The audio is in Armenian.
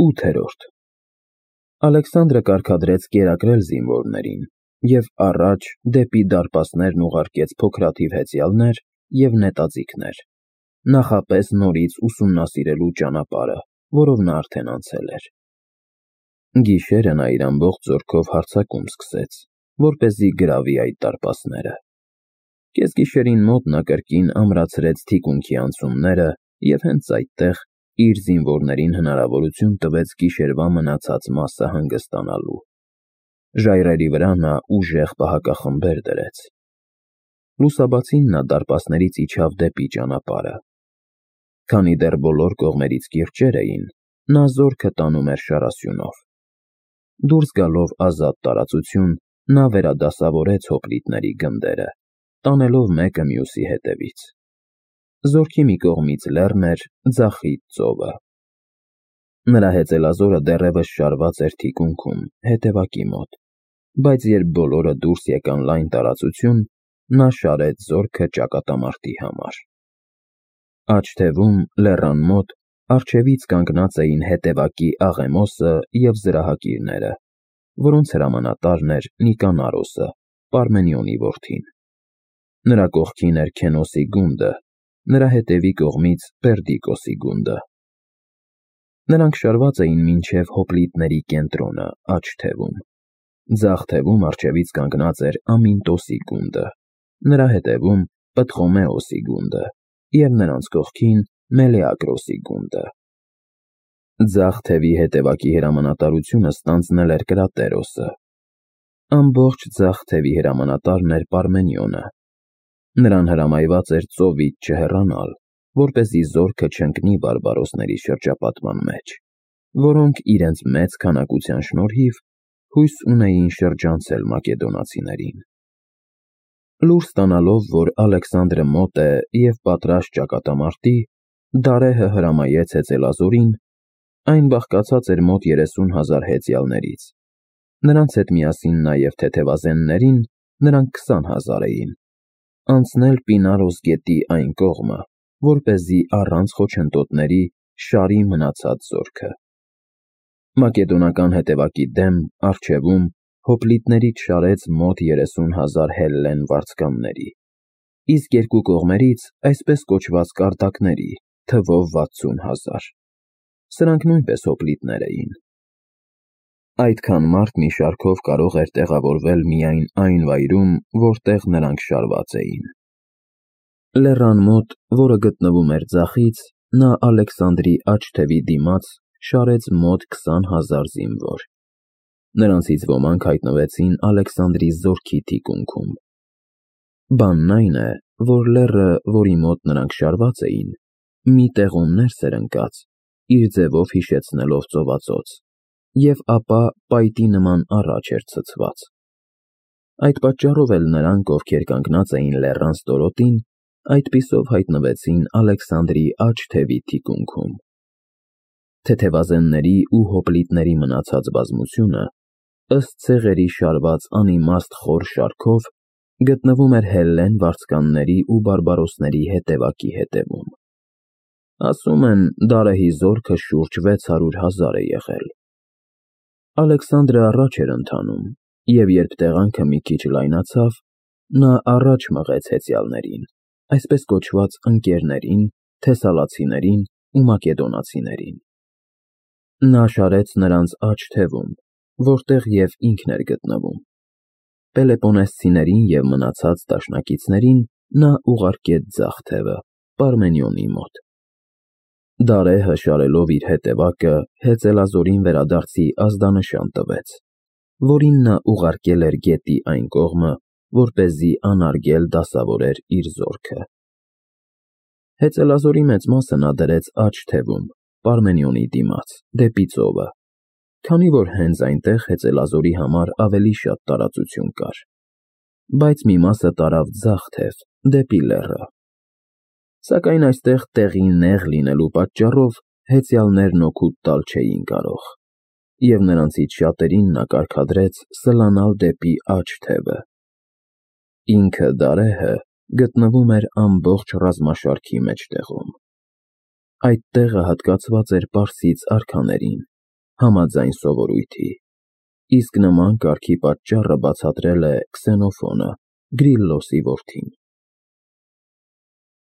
8-րդ Ալեքսանդրը կարգադրեց կերակրել զինվորներին և առաջ դեպի դարպասներն ուղարկեց փոքրաթիվ հեծյալներ և նետաձիգներ, նախապես նորից ուսումնասիրելու ճանապարհը, որով նա արդեն անցել էր։ Գիշերը նա իր ամբողջ զորքով հարձակում սկսեց, որպեսզի գրավի այդ դարպասները։ Կեսգիշերին մոտ նա կրկին ամրացրեց թիկունքի անցումները և հենց այդտեղ իր զինվորներին հնարավորություն տվեց գիշերվա մնացած մասը հանգստանալու։ Ժայռերի վրա նա ուժեղ պահակախմբեր դրեց։ Լուսաբացին նա դարպասներից իջավ դեպի ճանապարհը։ Քանի դեռ բոլոր կողմերից կիրճեր էին, նա զորքը տանում էր շարասյունով։ Դուրս գալով ազատ տարածություն, նա վերադասավորեց հոպլիտների գնդերը, տանելով մեկը մյուսի հետևից։ Զորքի մի կողմից լեռն էր, ձախից ծովը։ Նրա հեծելազորը դեռևս շարված էր թիկունքում, հետևակի մոտ, բայց երբ բոլորը դուրս եկան լայն տարածություն, նա շարեց զորքը ճակատամարտի համար։ Աջ թևում, լեռան մոտ, առջևից կանգնած էին հետևակի Աղեմոսը և զրահակիրները, որոնց հրամանատարն էր Նիկանարոսը, Պարմենիոնի որդին։ Նրա կողքին էր Քենոսի գունդը, նրա հետևի կողմից Պերդիկոսի գունդը։ Նրանք շարված էին մինչև հոպլիտների կենտրոնը, աջ թևում։ Ձախ թևում առջևից կանգնած էր Ամինտոսի գունդը, նրա հետևում Պտղոմեոսի գունդը և նրանց կողքին Մելեակրոսի գունդը։ Ձախ թևի հետևակի հրամանատարությունը ստանձնել էր Կրատերոսը։ Ամբողջ ձախ թևի հրամանատարն էր Պարմենիոնը։ Նրան հրամայված էր ծովից չհեռանալ, որպեսզի զորքը չընկնի բարբարոսների շրջապատման մեջ, որոնք իրենց մեծ քանակության շնորհիվ հույս ունեին շրջանցել մակեդոնացիներին։ Լուր ստանալով, որ Ալեքսանդրը մոտ է և պատրաստ ճակատամարտի, Դարեհը հրամայեց հեծելազորին, այն բաղկացած էր մոտ 30,000 հեծյալներից, նրանց հետ միասին նաև թեթևազեններին, նրանք 20,000 էին, անցնել Պինարոս գետի այն կողմը, որպեսզի առանց խոչընդոտների շարի մնացած զորքը։ Մակեդոնական հետևակի դեմ, առջևում, հոպլիտներից շարեց մոտ 30,000 հելլեն վարձկանների, իսկ երկու կողմերից այսպես կոչված կարտակների, թվով 60,000։ Սրանք նույնպես հոպլիտներ էին։ Այդքան մարդ մի շարքով կարող էր տեղավորվել միայն այն վայրում, որտեղ նրանք շարված էին։ Լեռան մոտ, որը գտնվում էր ձախից, նա Ալեքսանդրի աջ թևի դիմաց շարեց մոտ 20,000 զինվոր։ Նրանցից ոմանք հայտնվեցին Ալեքսանդրի զորքի թիկունքում։ Բանն այն է, որ լեռը, որի մոտ նրանք շարված էին, մի տեղում ներս էր ընկած, իր ձևով հիշեցնելով ծովածոց, և ապա պայտի նման առաջ էր ցցված։ Այդ պատճառով էլ նրանք, ովքեր կանգնած էին լեռան ստորոտին, այդպիսով հայտնվեցին Ալեքսանդրի աջ թևի թիկունքում։ Թեթևազենների ու հոպլիտների մնացած բազմությունը, ըստ ցեղերի շարված անիմաստ խոր շարքով, գտնվում էր հելլեն վարձկանների ու բարբարոսների հետևակի հետևում։ Ասում են, Դարեհի զորքը շուրջ 600,000 է եղել։ Ալեքսանդրը առաջ էր ընթանում, և երբ տեղանքը մի քիչ լայնացավ, նա առաջ մղեց հեծյալներին, այսպես կոչված ընկերներին, թեսալացիներին ու մակեդոնացիներին։ Նա շարեց նրանց աջ թևում, որտեղ և ինքն էր գտնվում։ Պելեպոնեսցիներին և մնացած դաշնակիցներին նա ուղարկեց ձախ թևը, Պարմենիոնի մոտ։ Դարեհը շարելով իր հետևակը հեծելազորին վերադարձի ազդանշան տվեց, որին նա ուղարկել էր գետի այն կողմը, որպեսզի անարգել դասավորեր իր զորքը։ Հեծելազորի մեծ մասը նա դրեց աջ թևում, Պարմենիոնի դիմաց, դեպի ծովը, քանի որ հենց այնտեղ հեծելազորի համար ավելի շատ տարածություն կար, բայց մի մասը տարավ ձախ թև, դեպի լեռը։ Սակայն այստեղ տեղի նեղ լինելու պատճառով հեծյալներն օգուտ տալ չէին կարող, և նրանցից շատերին նա կարգադրեց սլանալ դեպի աջ թևը։ Ինքը Դարեհը գտնվում էր ամբողջ ռազմաշարքի մեջտեղում։ Այդ տեղը հատկացված էր պարսից արքաներին, համաձայն սովորույթի։ Իսկ նման կարգի պատճառը բացատրել է Քսենոֆոնը, Գրիլլոսի որդին։